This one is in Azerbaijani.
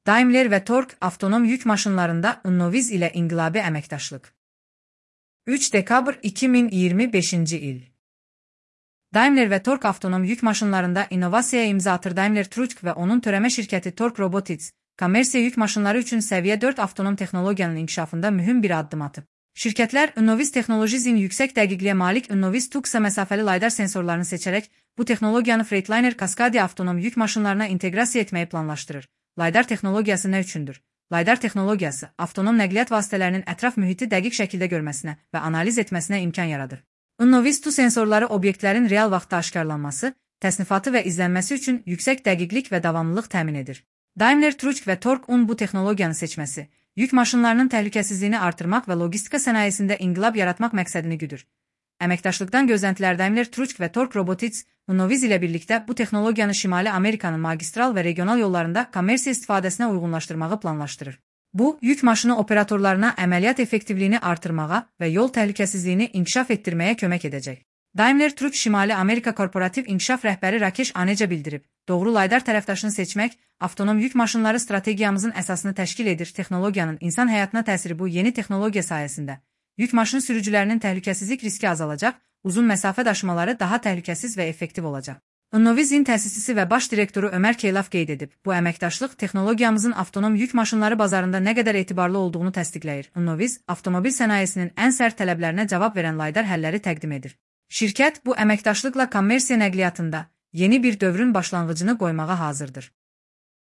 Daimler və Tork avtonom yük maşınlarında Innoviz ilə inqilabi əməkdaşlıq. 3 dekabr 2025-ci il. Daimler və Tork avtonom yük maşınlarında innovasiyaya imza atır. Daimler Truck və onun törəmə şirkəti Tork Robotics, kommersiya yük maşınları üçün səviyyə 4 avtonom texnologiyanın inkişafında mühüm bir addım atıb. Şirkətlər Innoviz Technologies'in yüksək dəqiqliyə malik Innoviz Tuxa məsafəli LiDAR sensorlarını seçərək bu texnologiyanı Freightliner Cascadia avtonom yük maşınlarına inteqrasiya etməyi planlaşdırır. LiDAR texnologiyası nə üçündür? LiDAR texnologiyası avtonom nəqliyyat vasitələrinin ətraf mühiti dəqiq şəkildə görməsinə və analiz etməsinə imkan yaradır. Innoviz Tu sensorları obyektlərin real vaxtda aşkarlanması, təsnifatı və izlənməsi üçün yüksək dəqiqlik və davamlılıq təmin edir. Daimler Truck və Tork-un bu texnologiyanı seçməsi, yük maşınlarının təhlükəsizliyini artırmaq və logistika sənayesində inqilab yaratmaq məqsədini güdür. Əməkdaşlıqdan gözləntilər Daimler Truck və Tork Robotics, Innoviz ilə birlikdə bu texnologiyanı Şimali Amerikanın magistral və regional yollarında kommersiya istifadəsinə uyğunlaşdırmağı planlaşdırır. Bu, yük maşını operatorlarına əməliyyat effektivliyini artırmağa və yol təhlükəsizliyini inkişaf etdirməyə kömək edəcək. Daimler Truck Şimali Amerika Korporativ İnkişaf rəhbəri Rakesh Aneja bildirib, doğru LiDAR tərəfdaşını seçmək, avtonom yük maşınları strategiyamızın əsasını təşkil edir. Texnologiyanın insan həyatına təsiri bu yeni texnologiya sayəsində. Yük maşın sürücülərinin təhlükəsizlik riski azalacaq, uzun məsafə daşımaları daha təhlükəsiz və effektiv olacaq. Innovizin təsisçisi və baş direktoru Ömər Keylaf qeyd edib, bu əməkdaşlıq texnologiyamızın avtonom yük maşınları bazarında nə qədər etibarlı olduğunu təsdiqləyir. Innoviz, avtomobil sənayesinin ən sərt tələblərinə cavab verən LiDAR həlləri təqdim edir. Şirkət bu əməkdaşlıqla kommersiya nəqliyyatında yeni bir dövrün başlanğıcını qoymağa hazırdır.